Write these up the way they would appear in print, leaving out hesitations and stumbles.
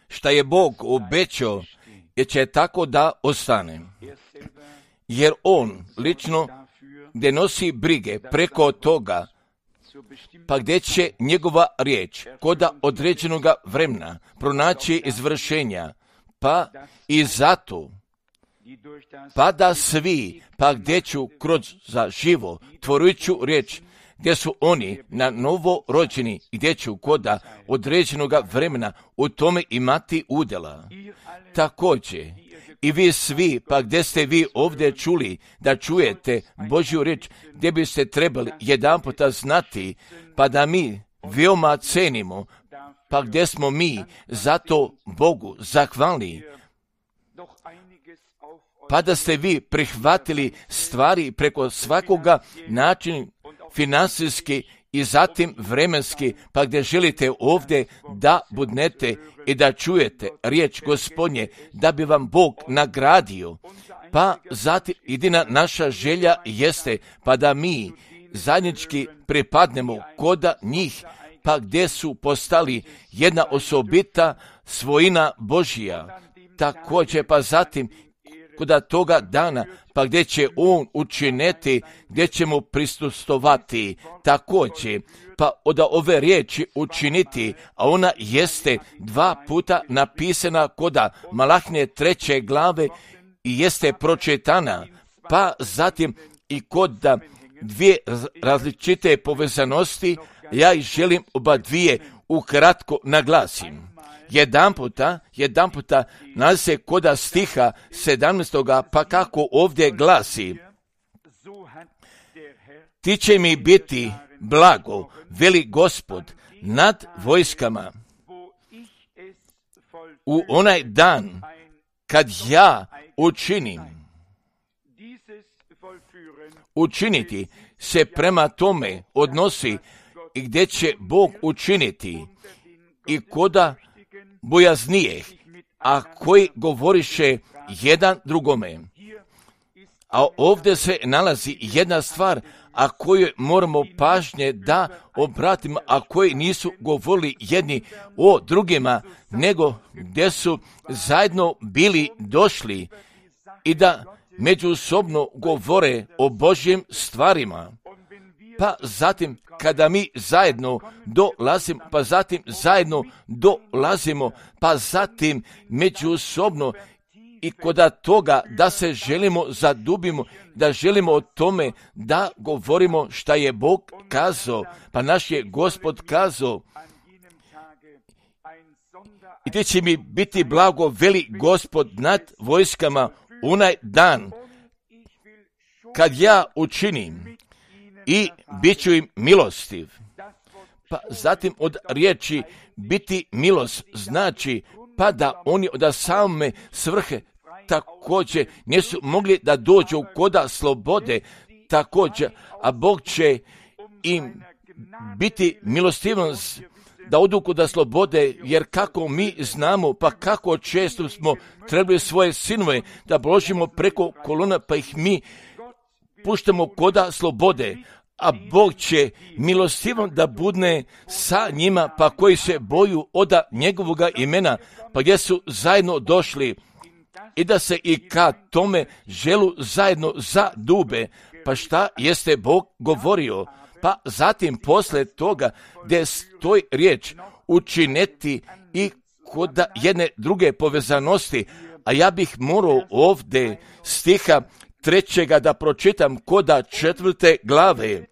šta je Bog obećao, jer će tako da ostane. Jer On lično gdje nosi brige preko toga, pa gdje će njegova riječ kod određenog vremena pronaći izvršenja, pa i zato, pa da svi, pa gdje ću kroz za živo tvorujuću riječ, gdje su oni na novo rođeni, gdje ću kod određenog vremena u tome imati udjela. Također, i vi svi, pa gdje ste vi ovdje čuli da čujete Božju riječ, gdje biste trebali jedanputa znati, pa da mi veoma cenimo, pa gdje smo mi zato Bogu zahvalni, pa da ste vi prihvatili stvari preko svakoga načina financijski i zatim vremenski, pa gdje želite ovdje da budnete i da čujete riječ Gospodnje, da bi vam Bog nagradio. Pa zatim jedina naša želja jeste, pa da mi zajednički pripadnemo kod njih, pa gdje su postali jedna osobita svojina Božija. Također, pa zatim kod toga dana, pa gdje će On učiniti, gdje ćemo prisustvovati također, pa od ove riječi učiniti, a ona jeste 2 puta napisana kod Malahije 3. glave i jeste pročitana, pa zatim i kod 2 različite povezanosti, ja ih želim oba dvije ukratko naglasim. Jedan puta nalazi se kod stiha 17. pa kako ovdje glasi: ti će mi biti blago, veli Gospod, nad vojskama, u onaj dan kad ja učinim. Učiniti se prema tome odnosi i gdje će Bog učiniti i koda bojaznijeh, a koji govoriše jedan drugome. A ovdje se nalazi jedna stvar, a koju moramo pažnje da obratimo, a koji nisu govorili jedni o drugima, nego gdje su zajedno bili došli i da međusobno govore o Božjim stvarima. Pa zatim, kada mi zajedno dolazimo, pa zatim međusobno i kod toga da se želimo zadubimo, da želimo o tome da govorimo šta je Bog kazao, pa naš je Gospod kazao. I ti će mi biti blago, veli Gospod, nad vojskama onaj dan kad ja učinim i bit ću im milostiv. Pa zatim od riječi biti milost znači pa da oni od same svrhe također nisu mogli da dođu koda slobode također, a Bog će im biti milostivan da odu koda slobode, jer kako mi znamo, pa kako često smo trebali svoje sinove da bložimo preko kolona, pa ih mi puštamo koda slobode, a Bog će milostivan da budne sa njima, pa koji se boju od njegovoga imena, pa gdje su zajedno došli i da se i kad tome želu zajedno zadube. Pa šta jeste Bog govorio? Pa zatim posle toga gdje stoji riječ učiniti i kod jedne druge povezanosti, a ja bih morao ovdje stiha 3. da pročitam kod 4. glave.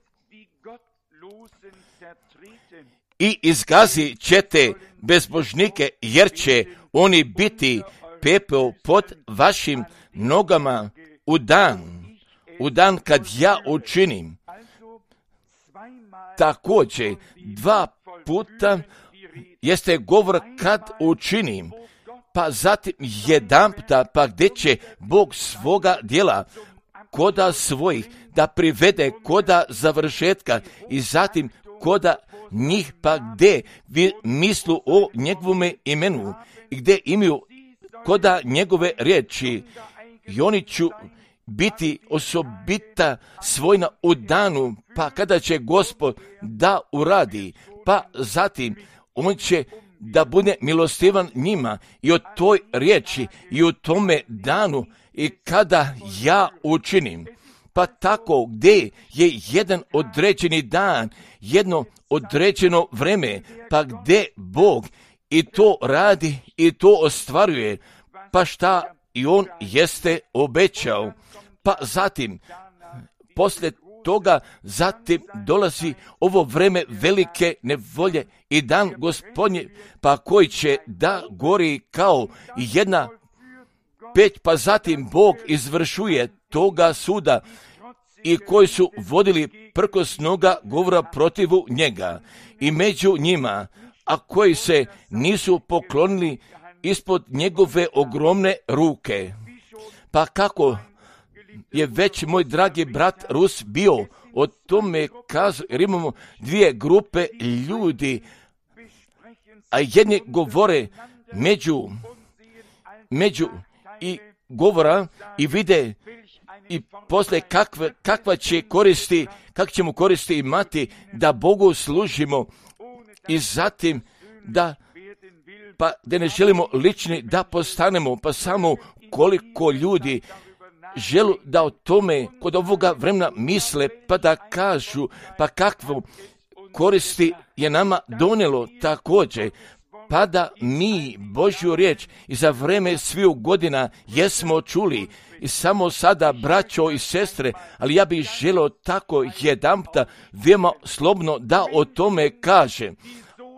I izgazit ćete bezbožnike, jer će oni biti pepeo pod vašim nogama u dan kad ja učinim. Također 2 puta jeste govor kad učinim, pa zatim jedan puta, pa gdje će Bog svoga djela koda svojih da privede koda završetka i zatim koda njih, pa gdje vi mislu o njegovome imenu i gdje imaju koda njegove riječi, i oni ću biti osobita svojna u danu, pa kada će Gospod da uradi, pa zatim on će da bude milostivan njima i o toj riječi i u tome danu i kada ja učinim. Pa tako gdje je jedan određeni dan, jedno određeno vreme, pa gdje Bog i to radi i to ostvaruje, pa šta i on jeste obećao. Pa zatim, poslije toga, zatim dolazi ovo vreme velike nevolje i dan Gospodnje, pa koji će da gori kao jedna peć, pa zatim Bog izvršuje toga suda i koji su vodili prkosnoga govora protivu njega i među njima, a koji se nisu poklonili ispod njegove ogromne ruke. Pa kako je već moj dragi brat Rus bio o tome kazao, jer imamo dvije grupe ljudi, a jedni govore među i govora i vide i posle kakva će koristi, kak ćemo koristi imati da Bogu služimo i zatim da ne želimo lični da postanemo, pa samo koliko ljudi želu da o tome kod ovoga vremena misle, pa da kažu, pa kakvu koristi je nama donelo također, pa da mi Božju riječ i za vreme sviju godina jesmo čuli i samo sada, braćo i sestre, ali ja bih želio tako jedanputa veoma slobodno da o tome kaže.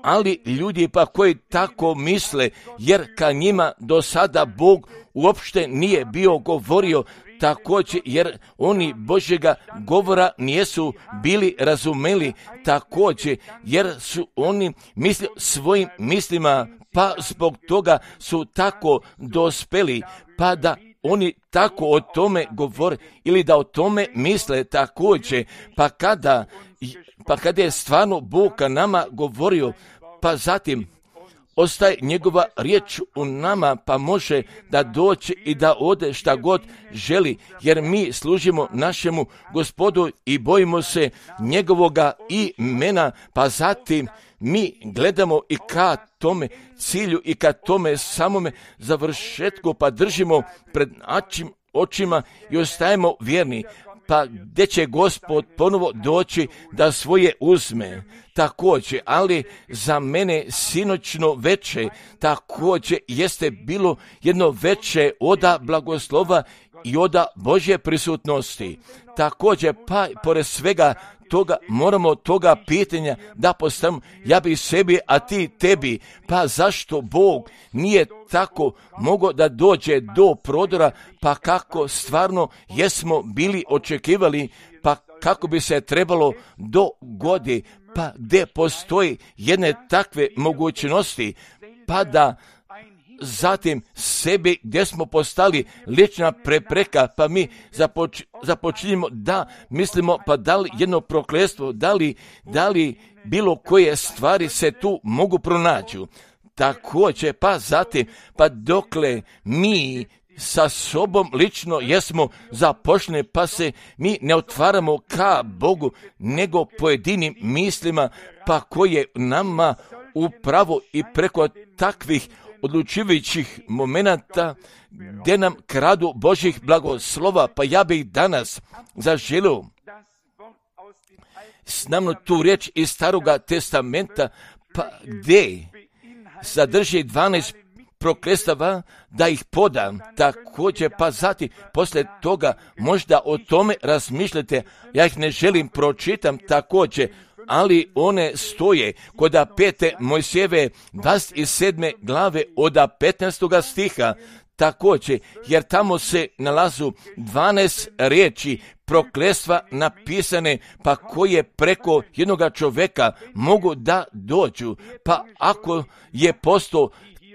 Ali ljudi pa koji tako misle, jer ka njima do sada Bog uopšte nije bio govorio također, jer oni Božjega govora nisu bili razumeli također, jer su oni mislili svojim mislima, pa zbog toga su tako dospeli, pa da oni tako o tome govore ili da o tome misle također, pa kada je stvarno Bog ka nama govorio, pa zatim ostaje njegova riječ u nama, pa može da doći i da ode šta god želi, jer mi služimo našemu Gospodu i bojimo se njegovoga imena, pa zatim mi gledamo i ka tome cilju i ka tome samome završetku, pa držimo pred očima i ostajemo vjerni. Pa gdje će Gospod ponovo doći da svoje uzme također, ali za mene sinoćno veče također jeste bilo jedno veče oda blagoslova i oda Božje prisutnosti. Također, pa pored svega toga moramo toga pitanja da postavimo, ja bi sebi, a ti tebi, pa zašto Bog nije tako mogao da dođe do prodora, pa kako stvarno jesmo bili očekivali, pa kako bi se trebalo dogodi, pa gdje postoji jedne takve mogućnosti, pa da zatim sebi gdje smo postali lična prepreka, pa mi započinjemo da mislimo, pa da li jedno prokletstvo, da li bilo koje stvari se tu mogu pronaći. Također, pa zatim, pa dokle mi sa sobom lično jesmo započne, pa se mi ne otvaramo ka Bogu, nego pojedinim mislima, pa koje nama upravo i preko takvih odlučujućih momenata gdje nam kradu Božjih blagoslova, pa ja bih danas zaželio s nama tu riječ iz Staroga testamenta, pa gdje sadrži 12 prokletstava da ih podam također, pa zatim poslije toga možda o tome razmišljate, ja ih ne želim pročitam također, ali one stoje kod 5. Mojsijeve 27. glave od 15. stiha također, jer tamo se nalazu 12 riječi prokletstva napisane, pa koje preko jednoga čovjeka mogu da dođu, pa ako je postao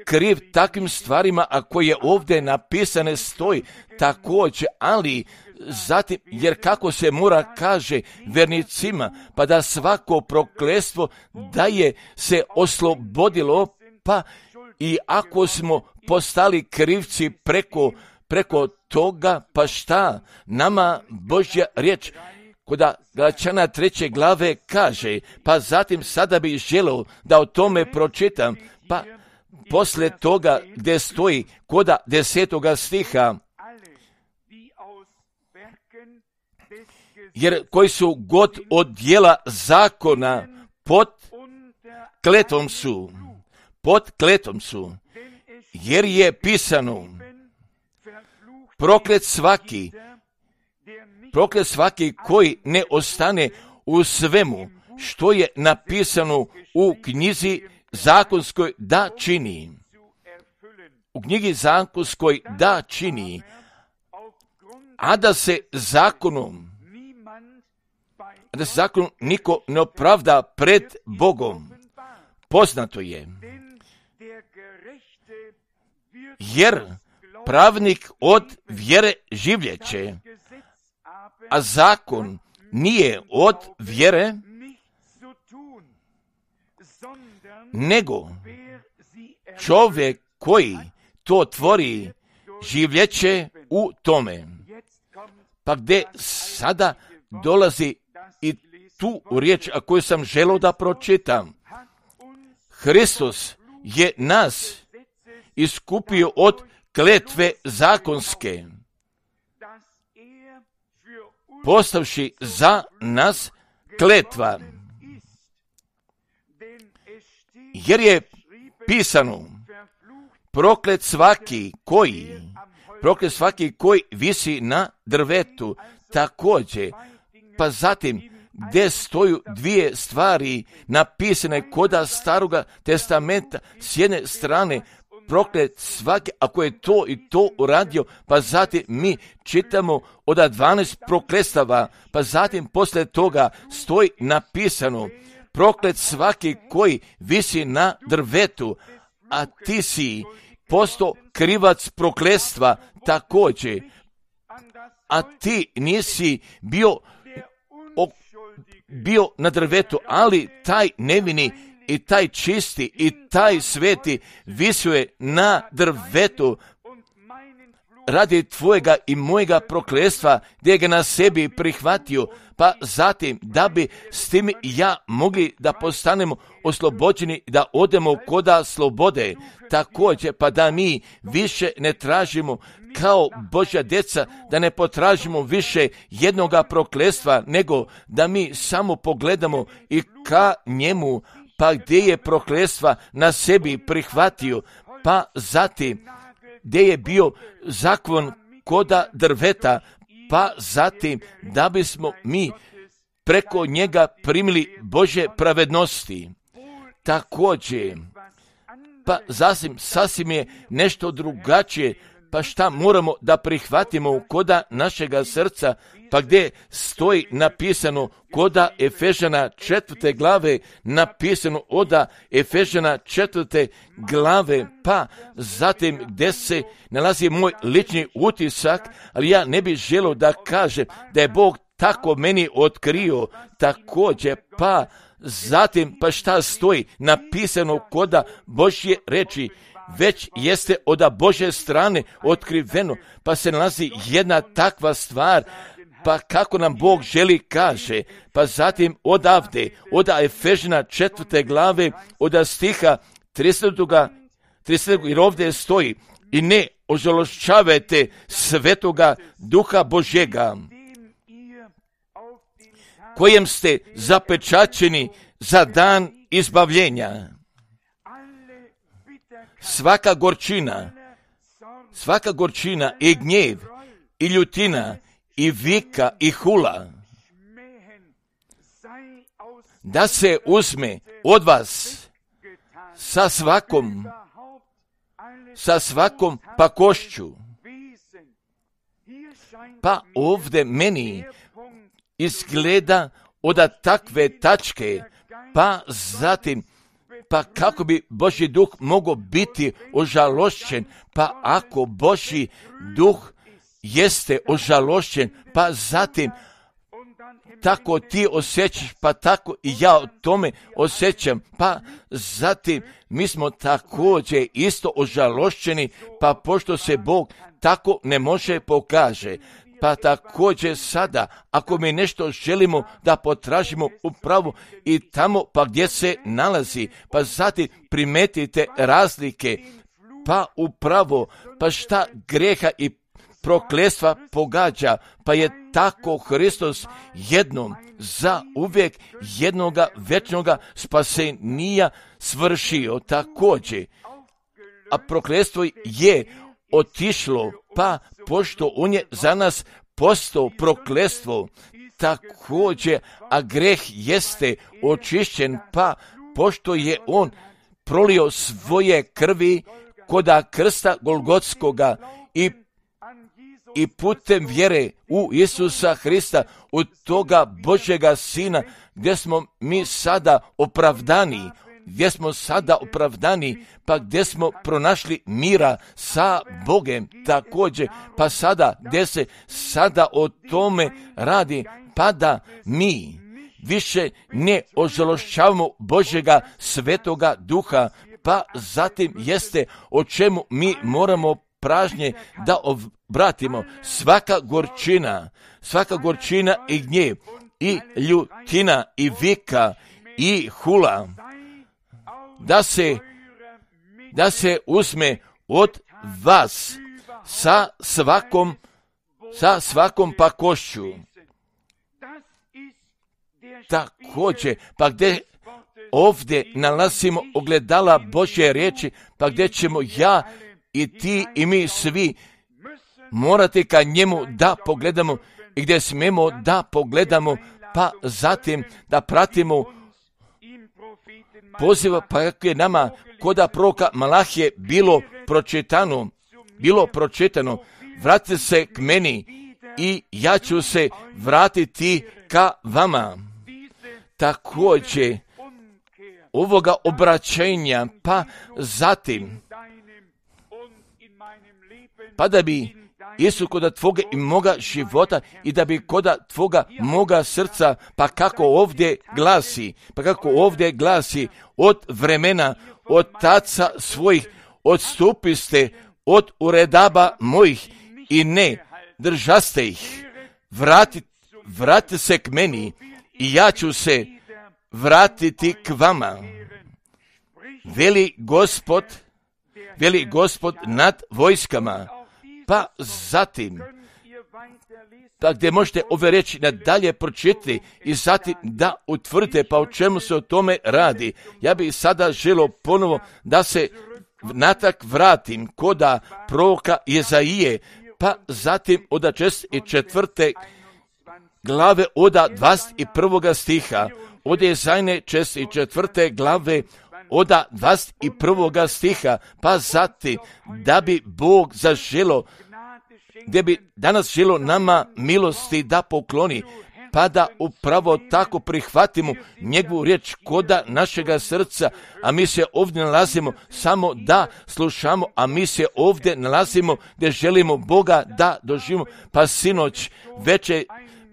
kriv takvim stvarima, a koje ovdje napisane stoji također, ali zatim, jer kako se mora kaže vernicima, pa da svako prokletstvo da je se oslobodilo, pa i ako smo postali krivci preko toga, pa šta nama Božja riječ kod Galačana 3. glave kaže, pa zatim sada bih želio da o tome pročitam, pa poslije toga gdje stoji koda 10. stiha, jer koji su god od dijela zakona pod kletvom su, jer je pisano, proklet svaki koji ne ostane u svemu što je napisano u knjizi zakonskoj da čini. U knjigi zakonskoj da čini, a da se zakonom niko ne opravda pred Bogom. Poznato je, jer pravnik od vjere življeće, a zakon nije od vjere, nego čovjek koji to tvori življeće u tome. Pa gdje sada dolazi i tu riječ, a koju sam želio da pročitam. Hristos je nas iskupio od kletve zakonske, postavši za nas kletva. Jer je pisano, proklet svaki koji visi na drvetu, također. Pa zatim, gdje stoju dvije stvari napisane koda Staroga testamenta, s jedne strane proklet svaki, ako je to i to uradio, pa zatim mi čitamo od 12 prokletstava, pa zatim poslije toga stoji napisano, proklet svaki koji visi na drvetu, a ti si postao krivac prokletstva također, a ti nisi bio na drvetu, ali taj nevini i taj čisti i taj sveti visio je na drvetu radi tvojega i mojega prokletstva, gdje ga na sebi prihvatio, pa zatim da bi s tim ja mogli da postanemo oslobođeni, da odemo koda slobode, također pa da mi više ne tražimo kao Božja djeca, da ne potražimo više jednoga prokletstva, nego da mi samo pogledamo i ka njemu, pa gdje je prokletstva na sebi prihvatio, pa zatim gdje je bio zakon koda drveta, pa zatim da bismo mi preko njega primili Božje pravednosti. Također, pa sasvim je nešto drugačije, pa šta moramo da prihvatimo koda našega srca, pa gdje stoji napisano koda Efežana 4. glave, napisano oda Efežana 4. glave, pa zatim gdje se nalazi moj lični utisak, ali ja ne bih želio da kažem da je Bog tako meni otkrio, također, pa zatim pa šta stoji napisano koda Božje reči, već jeste od Božje strane otkriveno, pa se nalazi jedna takva stvar, pa kako nam Bog želi kaže, pa zatim odavde, od Efežana 4. glave, od stiha 30. jer ovdje stoji, i ne ožalošćavajte Svetoga Duha Božjega, kojem ste zapečaćeni za dan izbavljenja. Svaka gorčina i gnjev i ljutina i vika i hula da se uzme od vas sa svakom pakošću. Pa ovdje meni izgleda od takve tačke, pa zatim pa kako bi Božji duh mogao biti ožalošćen, pa ako Božji duh jeste ožalošćen, pa zatim tako ti osjećaš, pa tako i ja o tome osjećam, pa zatim mi smo također isto ožalošćeni, pa pošto se Bog tako ne može pokaže, Pa također sada, ako mi nešto želimo da potražimo upravo i tamo pa gdje se nalazi, pa zatim primetite razlike, pa upravo, pa šta greha i prokletstva pogađa, pa je tako Hristos jednom za uvijek jednoga večnoga spasenija svršio također. A prokletstvo je otišlo, pa pošto on je za nas postao prokletstvo, također, a greh jeste očišćen, pa pošto je on prolio svoje krvi koda krsta Golgotskoga i putem vjere u Isusa Hrista, u toga Božjega Sina, gdje smo mi sada opravdani, pa gdje smo pronašli mira sa Bogem također, pa sada, gdje se sada o tome radi, pa da mi više ne ožalošćavamo Božjega Svetoga Duha, pa zatim jeste o čemu mi moramo pražnje da obratimo. Svaka gorčina i gnjev, i ljutina, i vika, i hula, da se uzme od vas sa svakom pakošću. Također, pa gdje ovdje nalazimo ogledala Božje riječi, pa gdje ćemo ja i ti i mi svi morati ka njemu da pogledamo i gdje smemo da pogledamo, pa zatim da pratimo poziva, pa kako je nama koda proroka Malahije bilo pročitano, vratite se k meni i ja ću se vratiti ka vama. Također, ovoga obraćenja, pa zatim, pa da bi Isus koda tvoga i moga života i da bi koda tvoga moga srca, pa kako ovdje glasi, od vremena otaca svojih odstupiste od uredaba mojih i ne držaste ih. Vratite se k meni i ja ću se vratiti k vama. Veli Gospod nad vojskama. Pa zatim, pa gdje možete ove reći nadalje pročitati i zatim da utvrdite pa o čemu se o tome radi. Ja bih sada želio ponovo da se natrag vratim koda proroka Jezaije, pa zatim od 4. glave od 21. stiha, od Jezajne 4. glave od 21. stiha, pa zatim da bi Bog zaželo, gdje bi danas želo nama milosti da pokloni, pa da upravo tako prihvatimo njegovu riječ koda našega srca, a mi se ovdje nalazimo samo da slušamo, a mi se ovdje nalazimo gdje želimo Boga da doživimo, pa sinoć večer,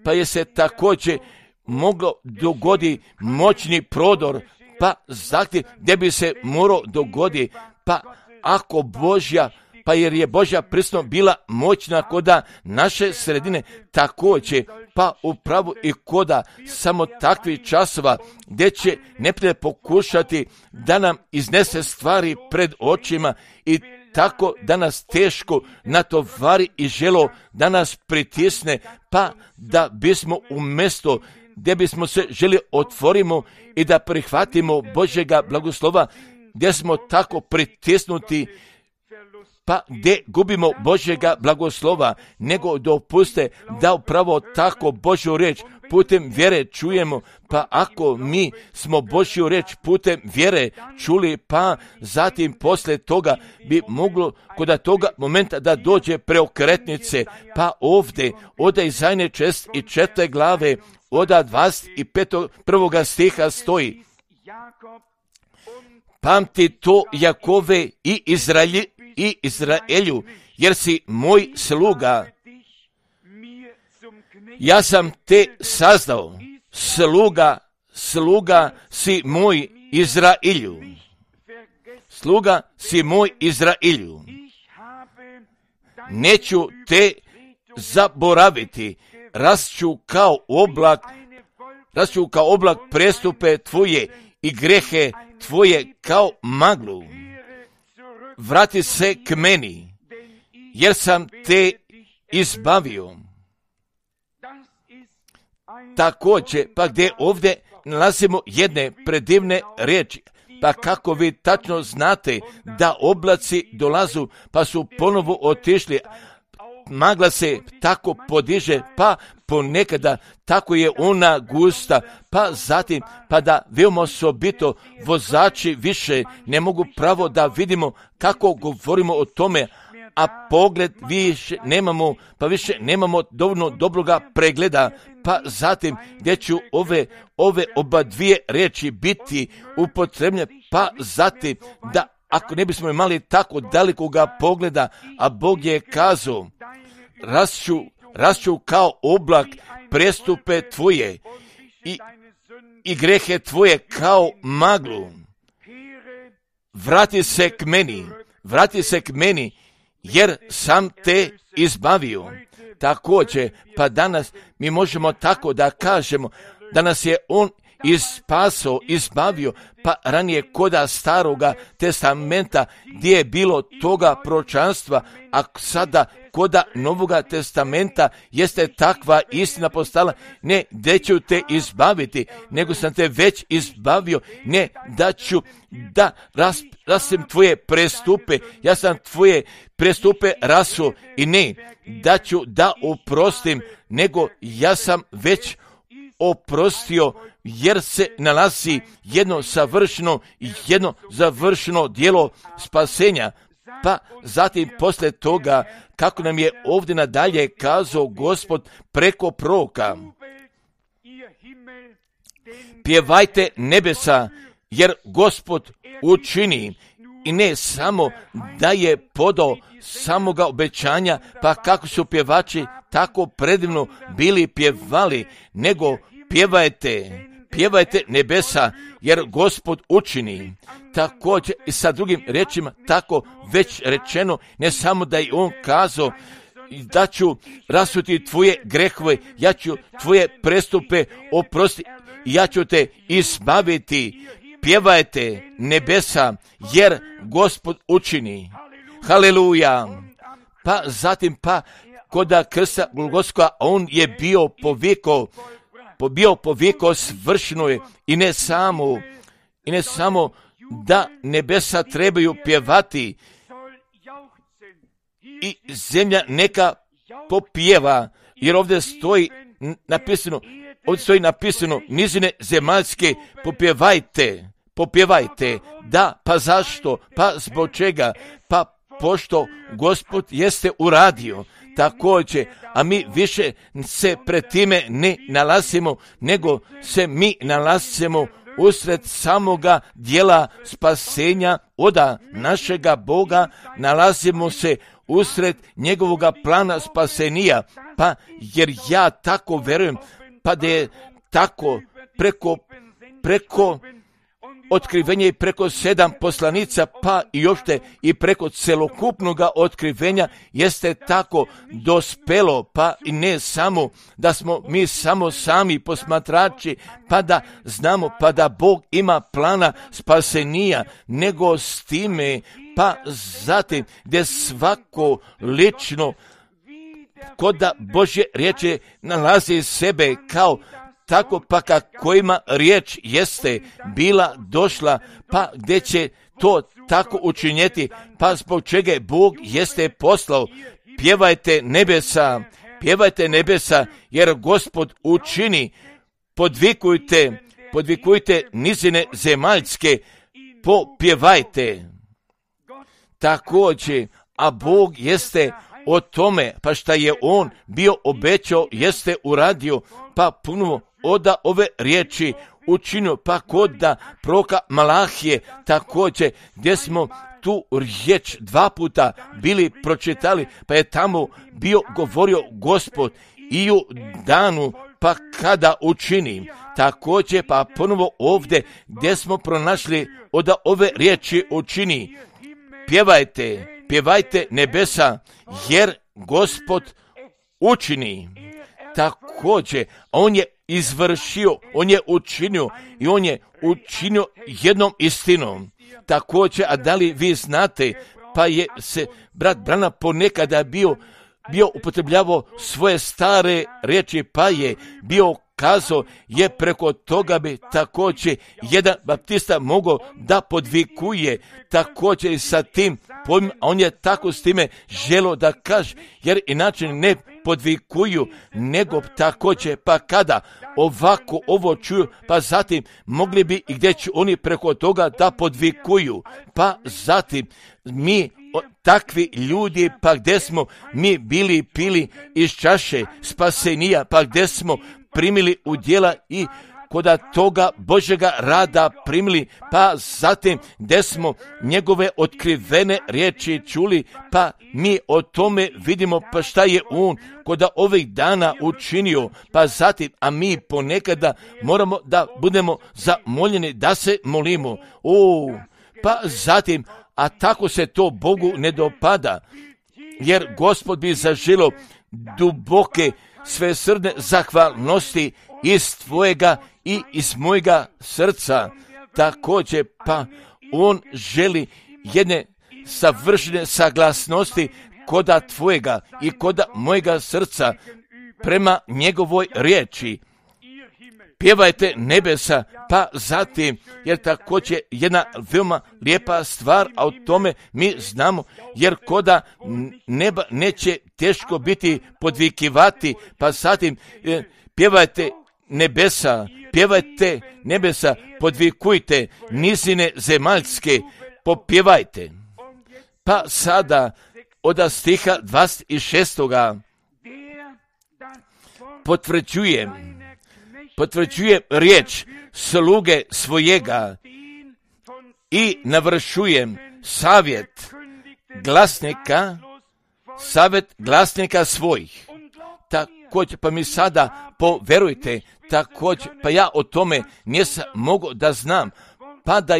pa je se također moglo dogodi moćni prodor, pa zahtjev gdje bi se morao dogoditi, pa ako Božja, pa jer je Božja prisutnost bila moćna koda naše sredine također, pa upravo i koda samo takvih časova gdje će neprijatelj pokušati da nam iznese stvari pred očima i tako da nas teško natovari i želo da nas pritisne, pa da bismo umjesto gdje bismo se želi otvorimo i da prihvatimo Božjega blagoslova, gdje smo tako pritisnuti, pa gdje gubimo Božjega blagoslova, nego dopuste da upravo tako Božju riječ putem vjere čujemo, pa ako mi smo Božju riječ putem vjere čuli, pa zatim poslije toga bi moglo kod toga momenta da dođe preokretnice, pa ovdje od Izajne 4. glave od 21. stiha stoji: pamti to Jakove i Izraelju, jer si moj sluga. Ja sam te sazdao, sluga si moj Izraelju. Sluga si moj Izraelju. Neću te zaboraviti, rasću kao oblak prestupe tvoje i grehe tvoje kao maglu. Vrati se k meni, jer sam te izbavio. Također, pa gdje ovdje nalazimo jedne predivne riječi, pa kako vi tačno znate da oblaci dolazu, pa su ponovo otišli, magla se tako podiže, pa ponekada tako je ona gusta, pa zatim, pa da veoma osobito vozači više ne mogu pravo da vidimo kako govorimo o tome, a pogled više nemamo dovoljno dobroga pregleda, pa zatim gdje ću ove oba dvije riječi biti upotrebljene, pa zatim da ako ne bismo imali tako dalikoga pogleda, a Bog je kazao, rasću kao oblak prestupe tvoje i grehe tvoje kao maglu. Vrati se k meni, jer sam te izbavio. Također, pa danas mi možemo tako da kažemo da nas je on izbavio, pa ranije koda staroga testamenta gdje je bilo toga proročanstva, a sada koda novoga testamenta jeste takva istina postala, ne da ću te izbaviti, nego sam te već izbavio, ne da ću da rasim tvoje prestupe, ja sam tvoje prestupe rasuo i ne da ću da oprostim, nego ja sam već oprostio, jer se nalazi jedno završeno djelo spasenja. Pa zatim poslije toga, kako nam je ovdje nadalje kazao Gospod preko proroka, pjevajte nebesa, jer Gospod učini, i ne samo da je podao samoga obećanja, pa kako su pjevači tako predivno bili pjevali, nego pjevajte nebesa, jer Gospod učini. Također i sa drugim riječima tako već rečeno, ne samo da je on kazao da ću rasuti tvoje grehove, ja ću tvoje prestupe oprostiti, ja ću te izbaviti. Pjevajte nebesa, jer Gospod učini. Haleluja. Pa zatim koda krsta Golgotskoga, on je bio poviko svršeno je, i ne samo da nebesa trebaju pjevati i zemlja neka popjeva, jer ovdje stoji napisano nizine zemaljske popjevajte. Da, pa zašto? Pa zbog čega? Pa pošto Gospod jeste uradio. Također, a mi više se pred time ne nalazimo, nego se mi nalazimo usred samoga dijela spasenja oda našega Boga, nalazimo se usred njegovoga plana spasenija, pa jer ja tako verujem, pa da je tako preko otkrivenja i preko 7 poslanica, pa i još i preko celokupnoga otkrivenja jeste tako dospelo, pa i ne samo da smo mi samo sami posmatrači, pa da znamo, pa da Bog ima plana spasenija, nego s time, pa zatim gdje svako lično koda Božje riječi nalazi sebe kao tako, pa kojima riječ jeste bila došla, pa gdje će to tako učinjeti, pa zbog čega Bog jeste poslao. Pjevajte nebesa, jer Gospod učini, podvikujte nizine zemaljske, popjevajte. Također, a Bog jeste o tome, pa šta je on bio obećao, jeste uradio, pa puno oda ove riječi učinio, pa kod da proroka Malahije također, gdje smo tu riječ 2 puta bili pročitali, pa je tamo bio govorio Gospod i u danu, pa kada učini. Također, pa ponovo ovdje gdje smo pronašli oda ove riječi učini. Pjevajte nebesa, jer Gospod učini, također on je izvršio, on je učinio i on je učinio jednom istinom. Također, a da li vi znate, pa je se brat Branham ponekada bio upotrebljavao svoje stare riječi, pa je bio kazao, je preko toga bi također jedan baptista mogao da podvikuje također i sa tim pojmom, a on je tako s time želio da kaže, jer inače ne podvikuju, nego također, pa kada ovako ovo čuju, pa zatim mogli bi i gdje će oni preko toga da podvikuju, pa zatim mi takvi ljudi, pa gdje smo mi bili pili iz čaše spasenija, pa gdje smo primili udjela i koda toga Božjega rada primili, pa zatim gdje smo njegove otkrivene riječi čuli, pa mi o tome vidimo pa šta je on koda ovih dana učinio, pa zatim, a mi ponekada moramo da budemo zamoljeni da se molimo. Pa zatim, a tako se to Bogu ne dopada, jer Gospod bi zaželio duboke svesrdne zahvalnosti iz tvojega i iz mojega srca. Također, pa on želi jedne savršene saglasnosti koda tvojega i koda mojega srca prema njegovoj riječi. Pjevajte nebesa, pa zatim, jer također jedna veoma lijepa stvar, a o tome mi znamo, jer koda neba neće teško biti podvikivati, pa zatim pjevajte nebesa, podvikujte nizine zemaljske, popjevajte. Pa sada od stiha 26. potvrđuje riječ sluge svojega i navršujem savjet glasnika svojih. Također, pa mi sada poverujte, također, pa ja o tome nisam mogao da znam, pa da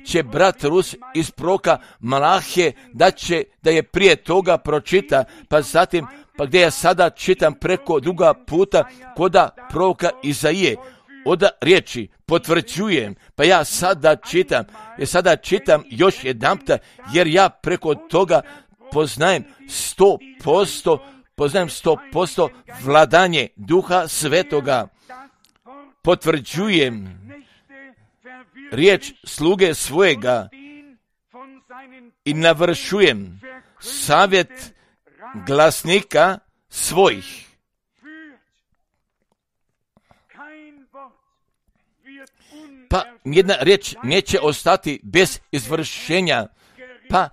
će brat Rus iz proroka Malahije, da je prije toga pročita, pa zatim, pa gdje ja sada čitam preko druga puta koda proroka Izaije, oda riječi potvrđujem, pa ja sada čitam još jedanputa, jer ja preko toga poznajem 100% vladanje Duha Svetoga. Potvrđujem riječ sluge svojega i navršujem savjet glasnika svojih. Pa jedna riječ neće ostati bez izvršenja, pa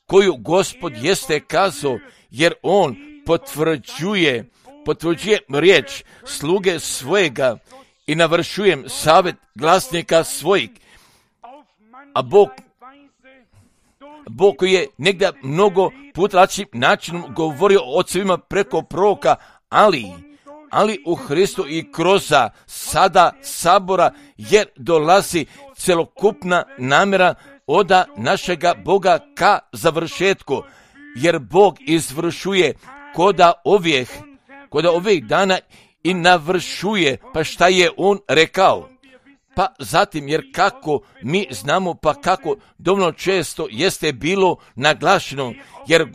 koju Gospod jeste kazao, jer on potvrđuje riječ sluge svojega i navršujem savjet glasnika svojih. A Bog koji je negdje mnogo puta različitim načinom govorio o ocevima preko proroka, ali u Hristu i kroz sada sabora, jer dolazi celokupna namjera od našega Boga ka završetku, jer Bog izvršuje koda ovih dana i navršuje, pa šta je on rekao. Pa zatim, jer kako mi znamo, pa kako dovoljno često jeste bilo naglašeno, jer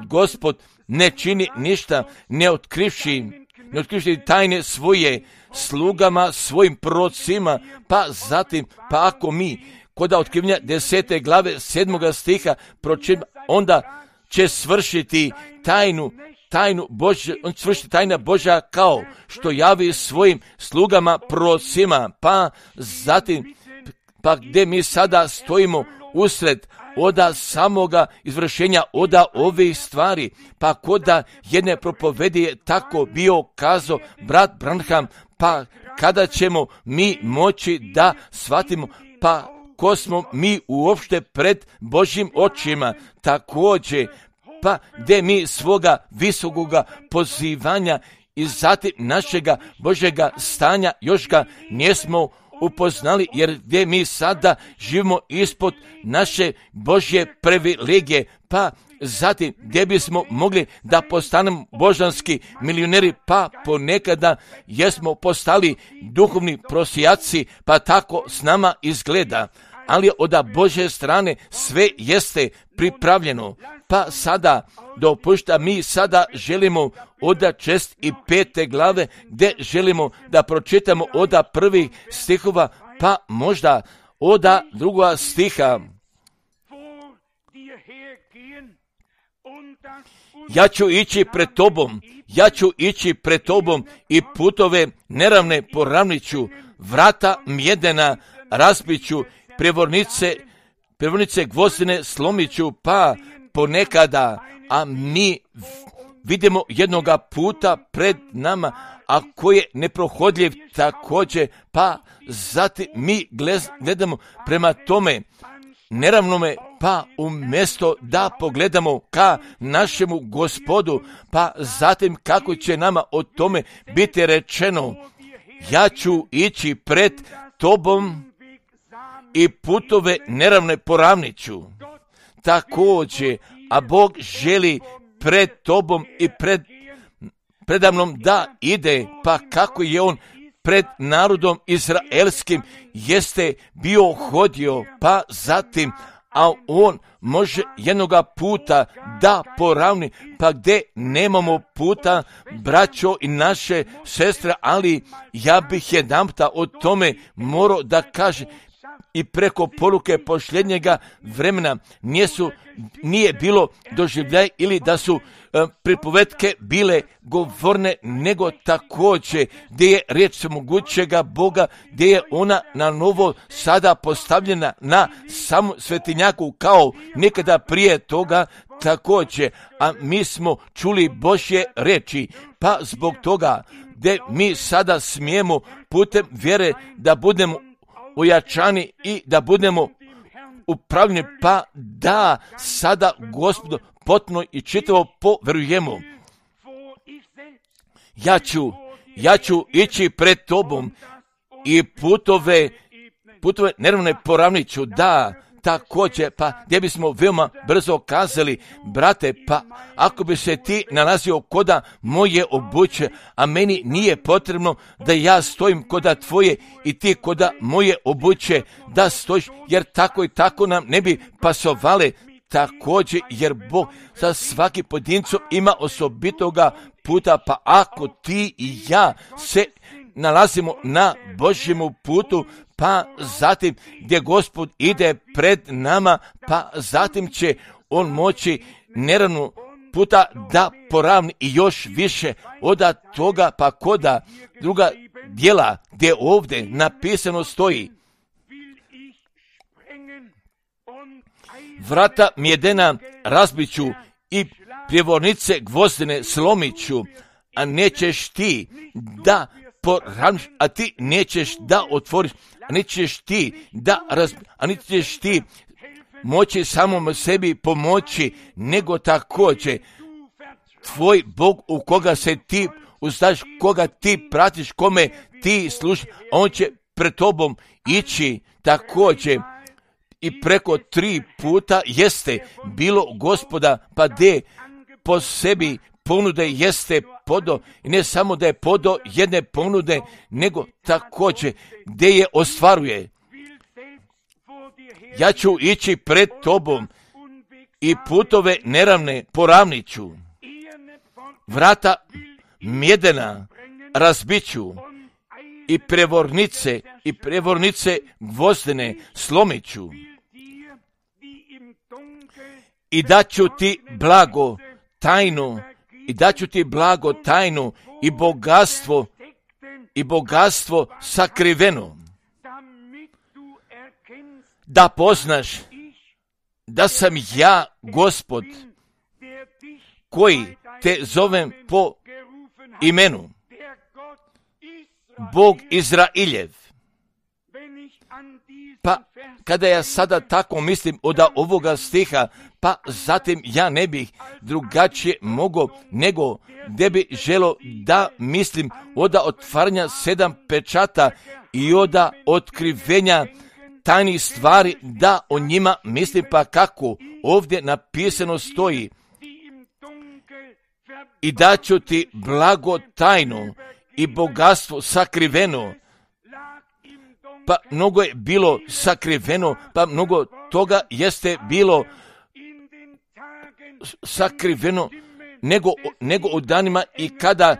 Gospod ne čini ništa, ne otkrivši tajne svoje slugama, svojim prorocima, pa zatim, pa ako mi kod otkrivanja 10. glave 7. stiha pročitamo, onda će svršiti tajnu Božja, on svršiti tajna Božja kao što javi svojim slugama prorocima, pa zatim, pa gdje mi sada stojimo usred oda samoga izvršenja oda ovih stvari, pa koda jedne propovedi je tako bio kazao brat Branham, pa kada ćemo mi moći da shvatimo, pa ko smo mi uopšte pred Božjim očima, također, pa gdje mi svoga visokoga pozivanja i zatim našega Božjega stanja još ga nismo upoznali, jer gdje mi sada živimo ispod naše Božje privilegije, pa zatim gdje bismo mogli da postanemo božanski milioneri, pa ponekada jesmo postali duhovni prosjaci, pa tako s nama izgleda. Ali od Božje strane sve jeste pripravljeno. Pa sada dopušta, mi sada želimo od 6 i 5 glave, gdje želimo da pročitamo od prvih stihova, pa možda od 2 stiha. Ja ću ići pred tobom i putove neravne poravniću, vrata mjedena razbiću, prevornice gvozdene slomiću, pa ponekada, a mi vidimo jednoga puta pred nama, a koji je neprohodljiv također, pa zatim mi gledamo prema tome neravnome, pa umjesto da pogledamo ka našemu Gospodu, pa zatim kako će nama o tome biti rečeno, ja ću ići pred tobom i putove neravne poravniću. Također, a Bog želi pred tobom i predamnom da ide, pa kako je on pred narodom izraelskim jeste bio hodio, pa zatim, a on može jednoga puta da poravni, pa gdje nemamo puta, braćo i naše sestre, ali ja bih jedanputa o tome morao da kažem, i preko poruke posljednjega vremena nije bilo doživljaj ili da su pripovetke bile govorne, nego također gdje je riječ mogućega Boga, gdje je ona na novo sada postavljena na samu svetinjaku kao nekada prije toga također, a mi smo čuli Božje riječi, pa zbog toga gdje mi sada smijemo putem vjere da budemo ojačani i da budemo upravljeni, pa da sada Gospodu potpuno i čitavo poverujemo. Ja ću ići pred tobom i putove neravne poravniću, da također, pa gdje bismo veoma brzo kazali, brate, pa ako bi se ti nalazio koda moje obuće, a meni nije potrebno da ja stojim koda tvoje i ti koda moje obuće da stojiš, jer tako i tako nam ne bi pasovale također, jer Bog za svaki pojedincom ima osobitoga puta, pa ako ti i ja se nalazimo na Božjemu putu, pa zatim gdje Gospod ide pred nama, pa zatim će on moći neravnu puta da poravni i još više od toga, pa koda druga djela gdje ovdje napisano stoji, vrata mjedena razbiću i prijevornice gvozdene slomiću, a nećeš ti da poravniš, a ti nećeš da otvoriš, a nećeš ti da a nećeš ti moći samom sebi pomoći, nego također tvoj Bog u koga se ti uzdaš, koga ti pratiš, kome ti služiš, on će pred tobom ići također. I preko 3 puta jeste bilo Gospoda, pa de po sebi ponude jeste podo, i ne samo da je podo jedne ponude, nego također gdje je ostvaruje. Ja ću ići pred tobom i putove neravne poravniću, vrata mjedena razbiću i prevornice gvozdene slomiću, i daću ti blago tajnu i bogatstvo sakriveno, da poznaš da sam ja Gospod koji te zovem po imenu, Bog Izrailjev. Pa kada ja sada tako mislim od ovoga stiha, pa zatim ja ne bih drugačije mogao nego gdje bi želo da mislim od otvaranja 7 pečata i od otkrivenja tajnih stvari, da o njima mislim, pa kako ovdje napisano stoji, i daću ti blago tajno i bogatstvo sakriveno. Pa mnogo je bilo sakriveno, pa mnogo toga jeste bilo sakriveno, nego u danima i kada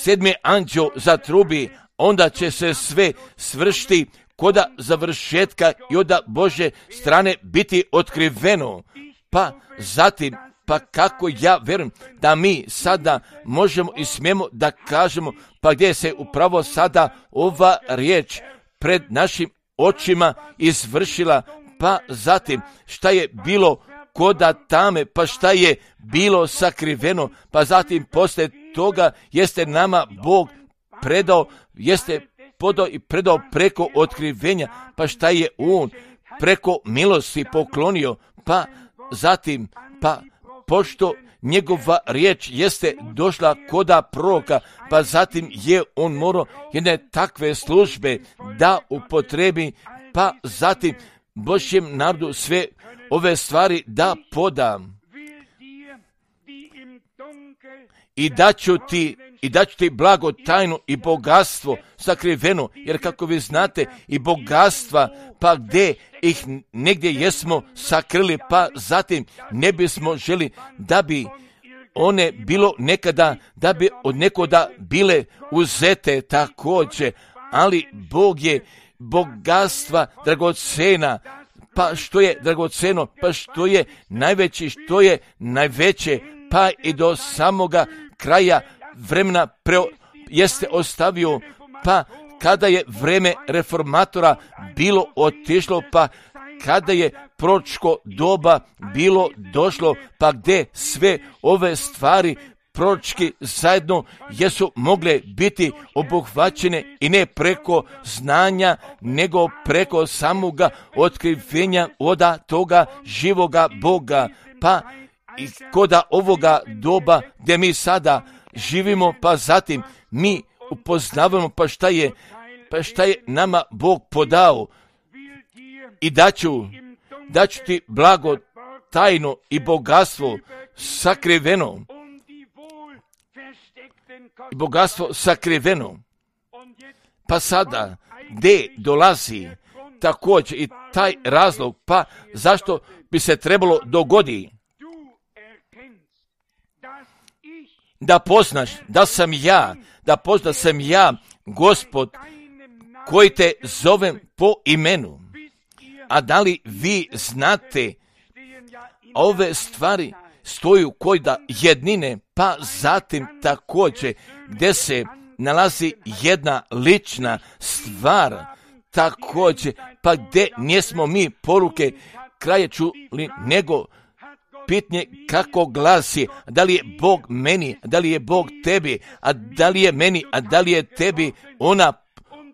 7. anđeo zatrubi, onda će se sve svršiti koda završetka i od Božje strane biti otkriveno. Pa zatim, pa kako ja vjerujem da mi sada možemo i smijemo da kažemo, pa gdje se upravo sada ova riječ pred našim očima izvršila, pa zatim šta je bilo koda tame, pa šta je bilo sakriveno, pa zatim poslije toga jeste nama Bog predao, jeste podao i predao preko otkrivenja, pa šta je On preko milosti poklonio, pa zatim, pa pošto njegova riječ jeste došla koda proroka, pa zatim je on morao jedne takve službe da upotrebi, pa zatim Božjem narodu sve ove stvari da poda. I daću ti blago tajnu i bogatstvo sakriveno, jer kako vi znate i bogatstva, pa gdje ih negdje jesmo sakrili, pa zatim ne bismo želi da bi one bilo nekada, da bi od nekoda bile uzete također, ali Bog je bogatstva dragocena. Pa što je dragoceno, pa što je najveći, što je najveće, pa i do samoga kraja vremena jeste ostavio, pa kada je vreme reformatora bilo otišlo, pa kada je proročko doba bilo došlo, pa gdje sve ove stvari proročki zajedno jesu mogle biti obuhvaćene i ne preko znanja, nego preko samoga otkrivenja oda toga živoga Boga, pa i koda ovoga doba gdje mi sada živimo, pa zatim mi upoznavamo pa šta je nama Bog podao, i daću ti blago tajno i bogatstvo sakriveno. Bogatstvo sakriveno. Pa sada gdje dolazi također i taj razlog, pa zašto bi se trebalo dogoditi da poznaš da sam ja Gospod koji te zovem po imenu. A da li vi znate, ove stvari stoju kod jednine, pa zatim također gdje se nalazi jedna lična stvar također, pa gdje nismo mi poruke kraje čuli, nego pitanje kako glasi, da li je Bog meni, da li je Bog tebi, a da li je meni, a da li je tebi ona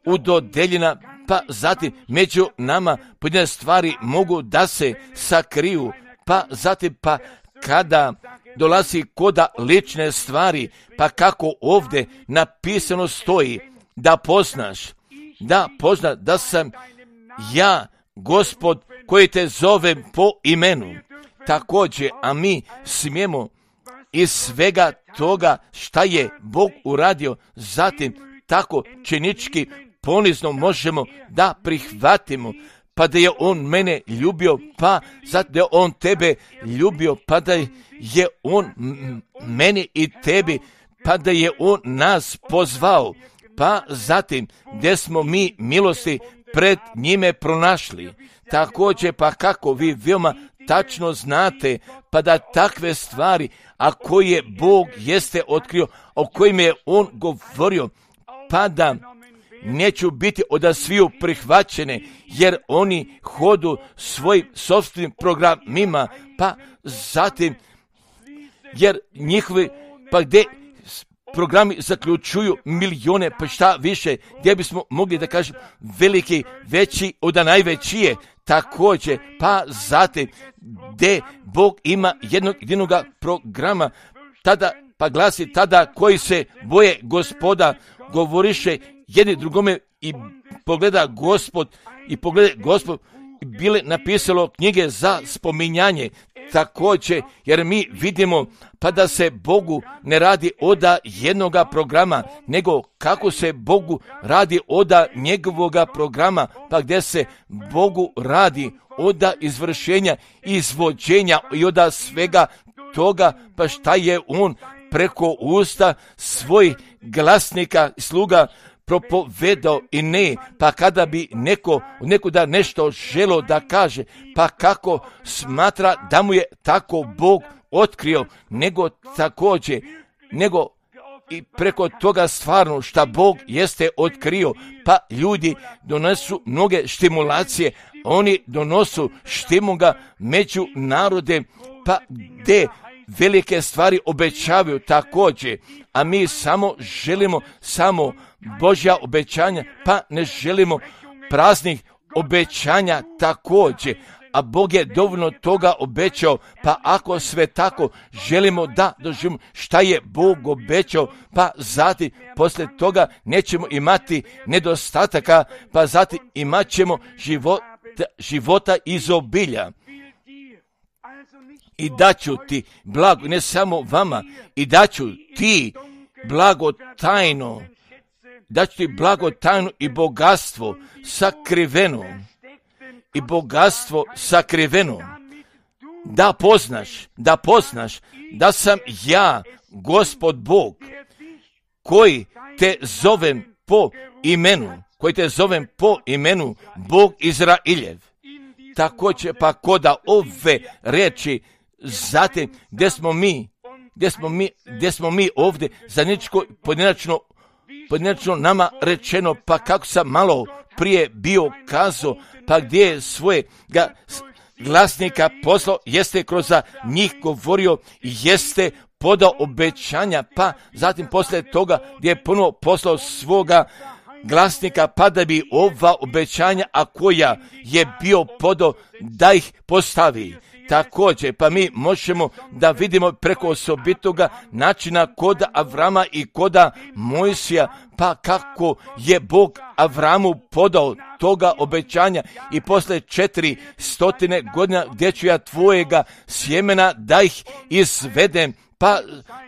udodeljena, pa zatim među nama pojedine stvari mogu da se sakriju, pa zatim pa kada dolazi koda lične stvari, pa kako ovdje napisano stoji, da poznaš da sam ja Gospod koji te zovem po imenu. Također, a mi smijemo iz svega toga šta je Bog uradio, zatim tako činički ponizno možemo da prihvatimo, pa da je On mene ljubio, pa zato da je On tebe ljubio, pa da je On meni i tebi, pa da je On nas pozvao, pa zatim gdje smo mi milosti pred njime pronašli. Također, pa kako vi veoma tačno znate, pa da takve stvari, a koje Bog jeste otkrio, o kojim je On govorio, pa da neću biti od sviju prihvaćene, jer oni hodu svojim sopstvenim programima, pa zatim, jer njihovi, pa gdje programi zaključuju milijone, pa šta više, gdje bismo mogli da kažem veliki, veći od najvećije, također, pa zatim, gdje Bog ima jednog programa, tada, pa glasi tada koji se boje Gospoda, govoriše jedni drugome i pogleda Gospod bile napisalo knjige za spominjanje također, jer mi vidimo pa da se Bogu ne radi oda jednoga programa, nego kako se Bogu radi oda njegovoga programa, pa gdje se Bogu radi oda izvršenja, izvođenja i oda svega toga, pa šta je on preko usta svojih glasnika i sluga propovedao i ne, pa kada bi neko da nešto želo da kaže, pa kako smatra da mu je tako Bog otkrio, nego također, nego i preko toga stvarno šta Bog jeste otkrio, pa ljudi donesu mnoge stimulacije, oni donosu štimuga među narode, pa gdje velike stvari obećavaju također, a mi samo želimo samo Božja obećanja, pa ne želimo praznih obećanja također, a Bog je dovoljno toga obećao, pa ako sve tako želimo da doživimo šta je Bog obećao, pa zatim poslije toga nećemo imati nedostataka, pa zatim imat ćemo života izobilja. I daću ti blago, ne samo vama, i daću ti blago tajno, daću ti blago tajno i bogatstvo sakriveno, i bogatstvo sakriveno, da poznaš da sam ja, Gospod Bog, koji te zovem po imenu, Bog Izrailjev. Također pa koda ove reči, zatim gdje smo mi ovdje zajedničko pojedinačno nama rečeno, pa kako sam malo prije bio kazao, pa gdje je svojega glasnika poslao, jeste kroz njih govorio, jeste podao obećanja, pa zatim poslije toga gdje je ponovo poslao svoga glasnika, pa da bi ova obećanja, a koja je bio podao, da ih postavi. Također, pa mi možemo da vidimo preko osobitoga načina koda Avrama i koda Mojsija, pa kako je Bog Avramu podao toga obećanja i posle 400 godina gdje ću ja tvojega sjemena da ih izvedem, pa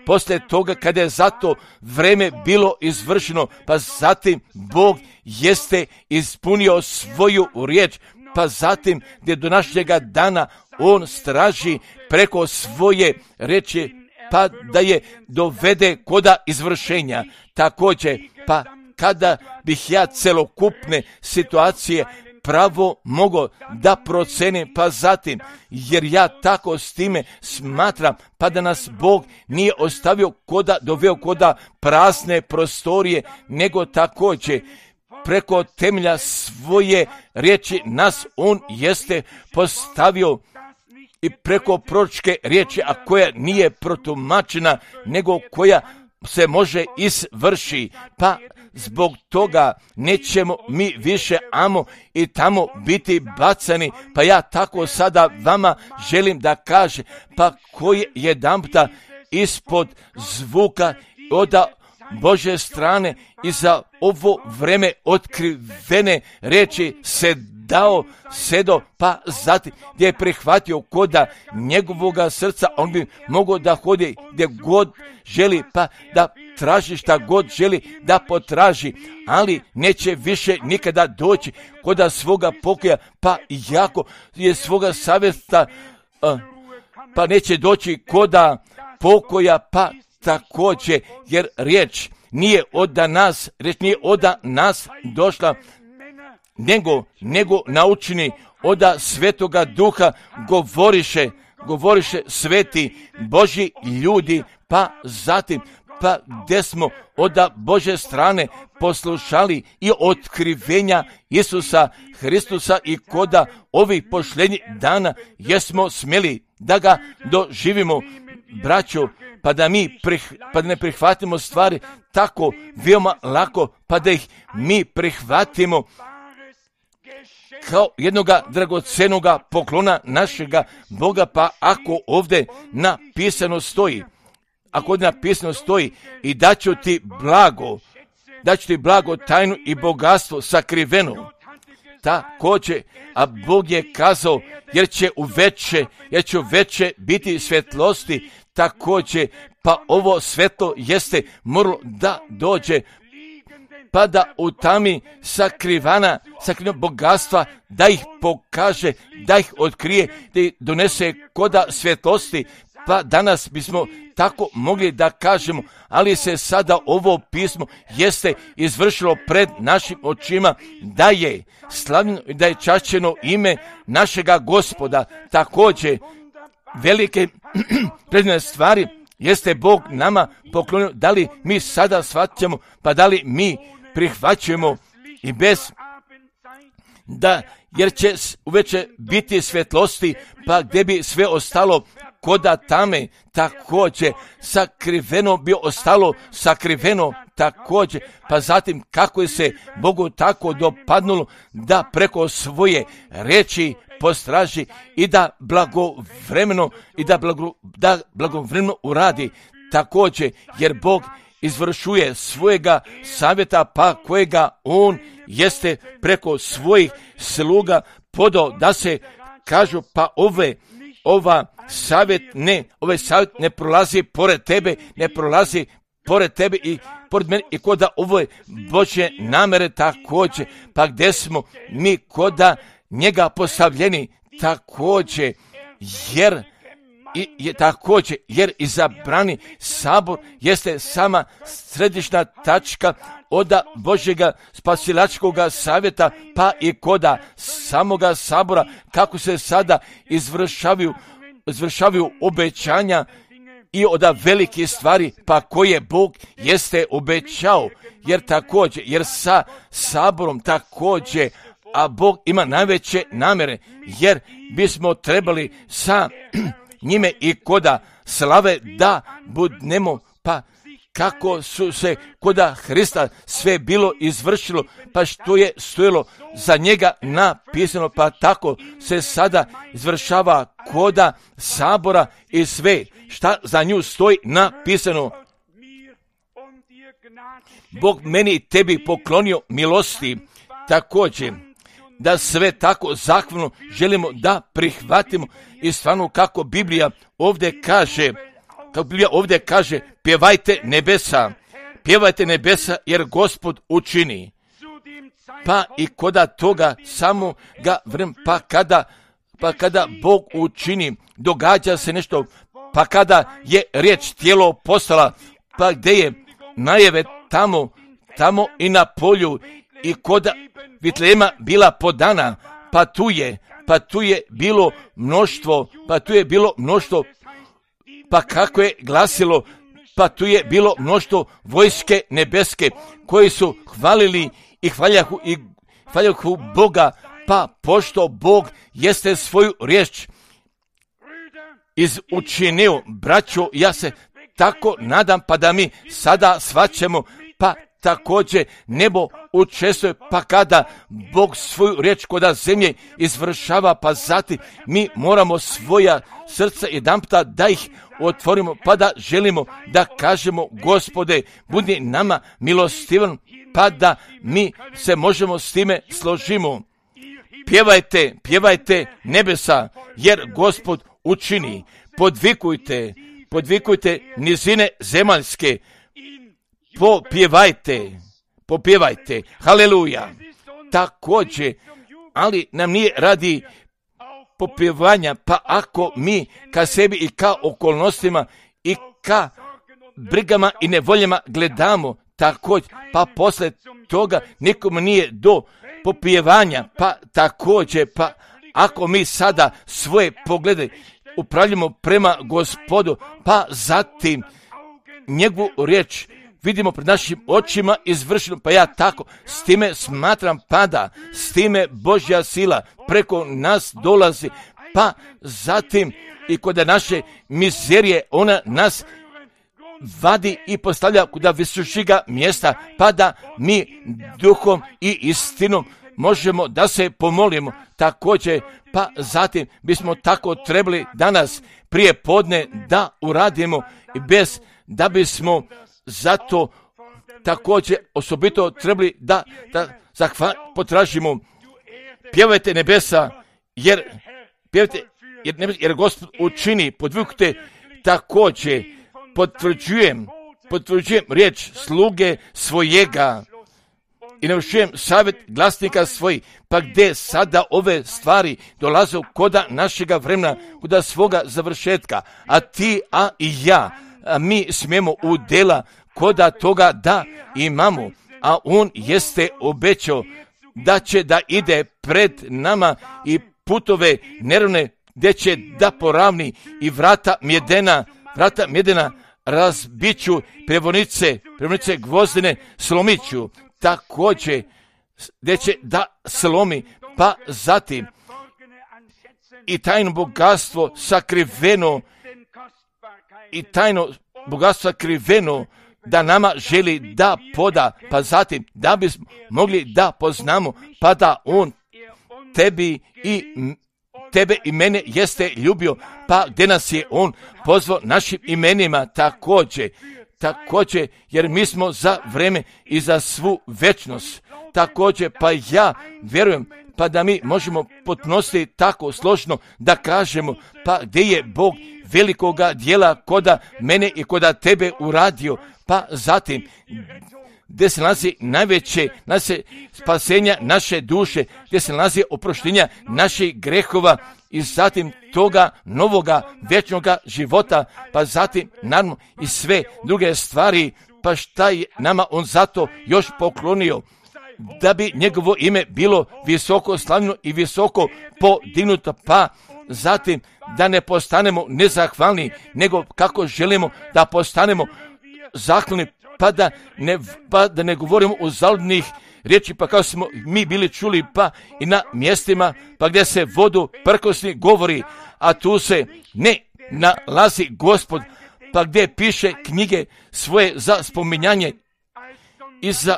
poslije toga kada je zato vreme bilo izvršeno, pa zatim Bog jeste ispunio svoju riječ, pa zatim gdje do našega dana on straži preko svoje riječi, pa da je dovede koda izvršenja. Također, pa kada bih ja celokupne situacije pravo mogao da procenim, pa zatim, jer ja tako s time smatram, pa da nas Bog nije ostavio doveo koda prazne prostorije, nego također preko temelja svoje riječi nas on jeste postavio i preko proročke riječi, a koja nije protumačena, nego koja se može izvrši, pa zbog toga nećemo mi više amo i tamo biti bacani, pa ja tako sada vama želim da kaže, pa koji jedanputa ispod zvuka od Božje strane i za ovo vreme otkrivene riječi se dao sedo, pa zatim gdje je prihvatio koda njegovoga srca, on bi mogao da hodi gdje god želi, pa da traži šta god želi da potraži, ali neće više nikada doći koda svoga pokoja, pa jako je svoga savjesta, pa neće doći koda pokoja, pa također, jer riječ nije od nas došla, nego naučeni od Svetoga Duha govoriše sveti Božji ljudi, pa zatim, pa gdje smo od Božje strane poslušali i otkrivenja Isusa Hristusa i koda ovih posljednjih dana jesmo smjeli da ga doživimo, braćo, pa da ne prihvatimo stvari tako veoma lako, pa da ih mi prihvatimo kao jednoga dragocenoga poklona našega Boga, pa ako ovdje napisano stoji, i daću ti blago tajnu i bogatstvo sakriveno. također, a Bog je kazao, jer će u veće biti svjetlosti, također, pa ovo svetlo jeste moralo da dođe, pa da u tami sakrivana bogatstva, da ih pokaže, da ih otkrije, da ih donese koda svjetlosti, pa danas bismo tako mogli da kažemo, ali se sada ovo pismo jeste izvršilo pred našim očima, da je slavljeno i da je čašćeno ime našega Gospoda. Također, velike predivne stvari jeste Bog nama poklonio, da li mi sada shvaćamo, pa da li mi prihvaćujemo i bez da, jer će uveče biti svjetlosti, pa gdje bi sve ostalo koda tame, također sakriveno bi ostalo, sakriveno također, pa zatim kako je se Bogu tako dopadnulo da preko svoje riječi postraži i da blagovremeno uradi također, jer Bog izvršuje svojega savjeta, pa kojega on jeste preko svojih sluga podao da se kažu, pa ovaj savjet ne prolazi pored tebe, ne prolazi pored tebe i pored mene i koda ove Božje namere također, pa gdje smo mi koda njega postavljeni također, jer izabrani sabor jeste sama središnja tačka od Božjega spasilačkoga savjeta, pa i koda samoga sabora, kako se sada izvršavaju obećanja i od velikih stvari, pa koje Bog jeste obećao, jer sa saborom također, a Bog ima najveće namjere, jer bismo trebali sa njime i koda slave da budnemo, pa kako su se koda Hrista sve bilo izvršilo, pa što je stojilo za njega napisano, pa tako se sada izvršava koda sabora i sve šta za nju stoji napisano. Bog meni i tebi poklonio milosti, također da sve tako zahvalno želimo da prihvatimo i stvarno kako Biblija ovdje kaže, pjevajte nebesa jer Gospod učini. Pa i koda toga samoga vremena, pa kada Bog učini, događa se nešto, pa kada je riječ tijelo postala, pa gdje je najave tamo i na polju i koda Vitlema bila podana, pa tu je bilo mnoštvo, pa kako je glasilo, pa tu je bilo mnoštvo vojske nebeske koji su hvalili i hvaljahu Boga, pa pošto Bog jeste svoju riječ izučinio, braćo, ja se tako nadam, pa da mi sada shvaćamo, pa također nebo učestvuje, pa kada Bog svoju riječ koda zemlje izvršava, pa zatim mi moramo svoja srca jedanputa da ih otvorimo, pa da želimo da kažemo, Gospode, budi nama milostivan, pa da mi se možemo s time složimo. Pjevajte nebesa, jer Gospod učini. Podvikujte nizine zemaljske, popjevajte, haleluja. Također, ali nam nije radi popjevanja, pa ako mi ka sebi i ka okolnostima i ka brigama i nevoljama gledamo, također, pa posle toga nikom nije do popjevanja, pa također, pa ako mi sada svoje poglede upravljamo prema Gospodu, pa zatim njegovu riječ vidimo pred našim očima izvršeno, pa ja tako s time smatram, pada, s time Božja sila preko nas dolazi, pa zatim i kod naše mizerije ona nas vadi i postavlja kuda visočiga mjesta, pa da mi duhom i istinom možemo da se pomolimo također, pa zatim bismo tako trebali danas prije podne da uradimo i bez da bismo zato također osobito trebali da potražimo pjevajte nebesa, jer Gospod učini, podvukte također, potvrđujem riječ sluge svojega i navršujem savjet glasnika svojih, pa gdje sada ove stvari dolaze koda našega vremena, koda svoga završetka, a ti, a i ja, mi smijemo u dela koda toga da imamo, a on jeste obećao da će da ide pred nama i putove nerovne gdje će da poravni i vrata mjedena razbiću, prevonice gvozdene slomiću, također gdje će da slomi, pa zatim i tajno bogatstvo sakriveno da nama želi da poda, pa zatim da bismo mogli da poznamo, pa da on tebe i mene jeste ljubio, pa gdje nas je on pozvao našim imenima također, jer mi smo za vreme i za svu večnost, također, pa ja vjerujem, pa da mi možemo podnositi tako složno da kažemo, pa gdje je Bog velikoga dijela koda mene i koda tebe uradio, pa zatim gdje se nalazi najveće spasenja naše duše, gdje se nalazi oproštenja naših grehova i zatim toga novoga vječnoga života, pa zatim naravno i sve druge stvari, pa šta je nama on zato još poklonio, da bi njegovo ime bilo visoko slavljeno i visoko podignuto, pa zatim da ne postanemo nezahvalni, nego kako želimo da postanemo zahvalni, pa da ne govorimo o zaludnih riječi, pa kao smo mi bili čuli, pa i na mjestima, pa gdje se vodu prkosni govori, a tu se ne nalazi Gospod, pa gdje piše knjige svoje za spominjanje i za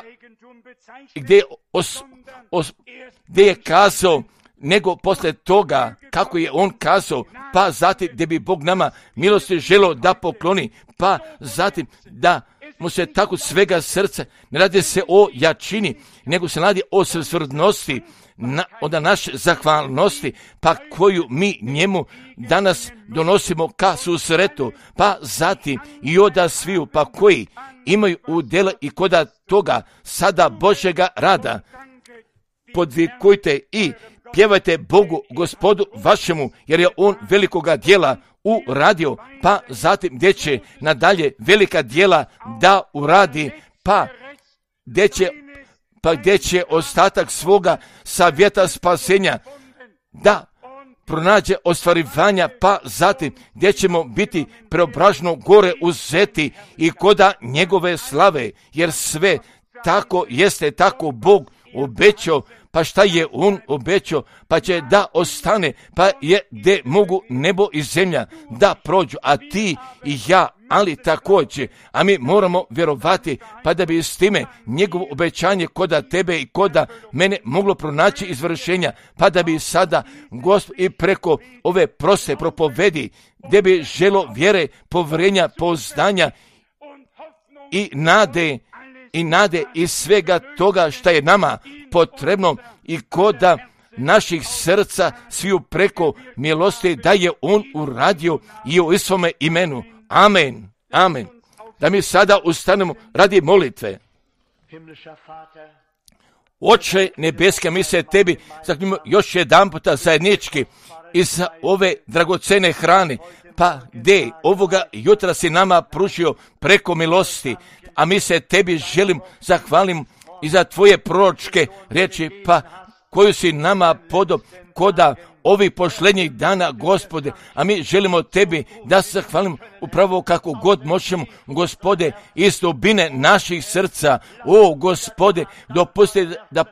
gdje je kazao, nego poslije toga kako je on kazao, pa zatim gdje bi Bog nama milosti želio da pokloni, pa zatim da mu se tako svega srca, ne radi se o jačini, nego se radi o svrstvrdnosti, od naše zahvalnosti, pa koju mi njemu danas donosimo ka susretu, pa zatim i oda sviju, pa koji imaju udjela i koda toga sada Božjega rada. Podvikujte i pjevajte Bogu, Gospodu vašemu, jer je on velikoga djela uradio, pa zatim gdje će nadalje velika djela da uradi, pa gdje će ostatak svoga savjeta spasenja da pronađe ostvarivanja, pa zatim gdje ćemo biti preobraženo gore uzeti i koda njegove slave, jer sve tako jeste, tako Bog obećao, pa šta je on obećao, pa će da ostane, pa je gdje mogu nebo i zemlja da prođu, a ti i ja, ali također, a mi moramo vjerovati, pa da bi s time njegovo obećanje koda tebe i koda mene moglo pronaći izvršenja, pa da bi sada Gospod i preko ove proste propovedi, gdje bi želo vjere, povjerenja, pouzdanja i nade i svega toga što je nama potrebno i koda naših srca sviju preko milosti da je on uradio i u svome imenu. Amen. Amen. Da mi sada ustanemo radi molitve. Oče nebeske, mi se tebi zahvaljujemo još jedan puta zajednički i za ove dragocene hrane, pa gdje ovoga jutra si nama pružio preko milosti, a mi se tebi želim zahvalim i za tvoje proročke riječi, pa koju si nama podao koda ovih posljednjih dana, Gospode, a mi želimo tebi da se zahvalimo upravo kako god možemo, Gospode, iz dubine naših srca. O, Gospode, dopusti da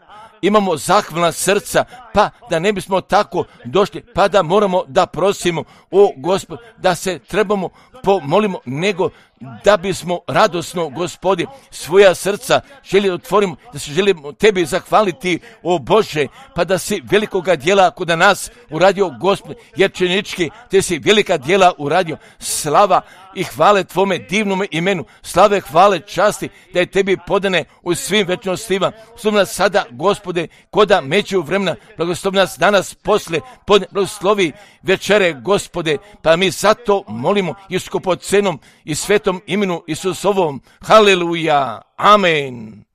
imamo zahvalna srca, pa da ne bismo tako došli, pa da moramo da prosimo, o Gospod, da se trebamo pomolimo, nego da bismo radosno, Gospodi, svoja srca želi otvorimo, da se želimo Tebi zahvaliti, o Bože, pa da si velikoga djela kod nas uradio, Gospod, jer činički Te si velika djela uradio. Slava i hvale Tvome divnome imenu, slave, hvale, časti, da je Tebi podane u svim večnostima. Slov nas sada, Gospode, koda među vremena, blagoslov nas danas posle, blagoslovi večere, Gospode, pa mi zato molimo i skupocenom i svetom imenu Isusovom. Haleluja. Amen.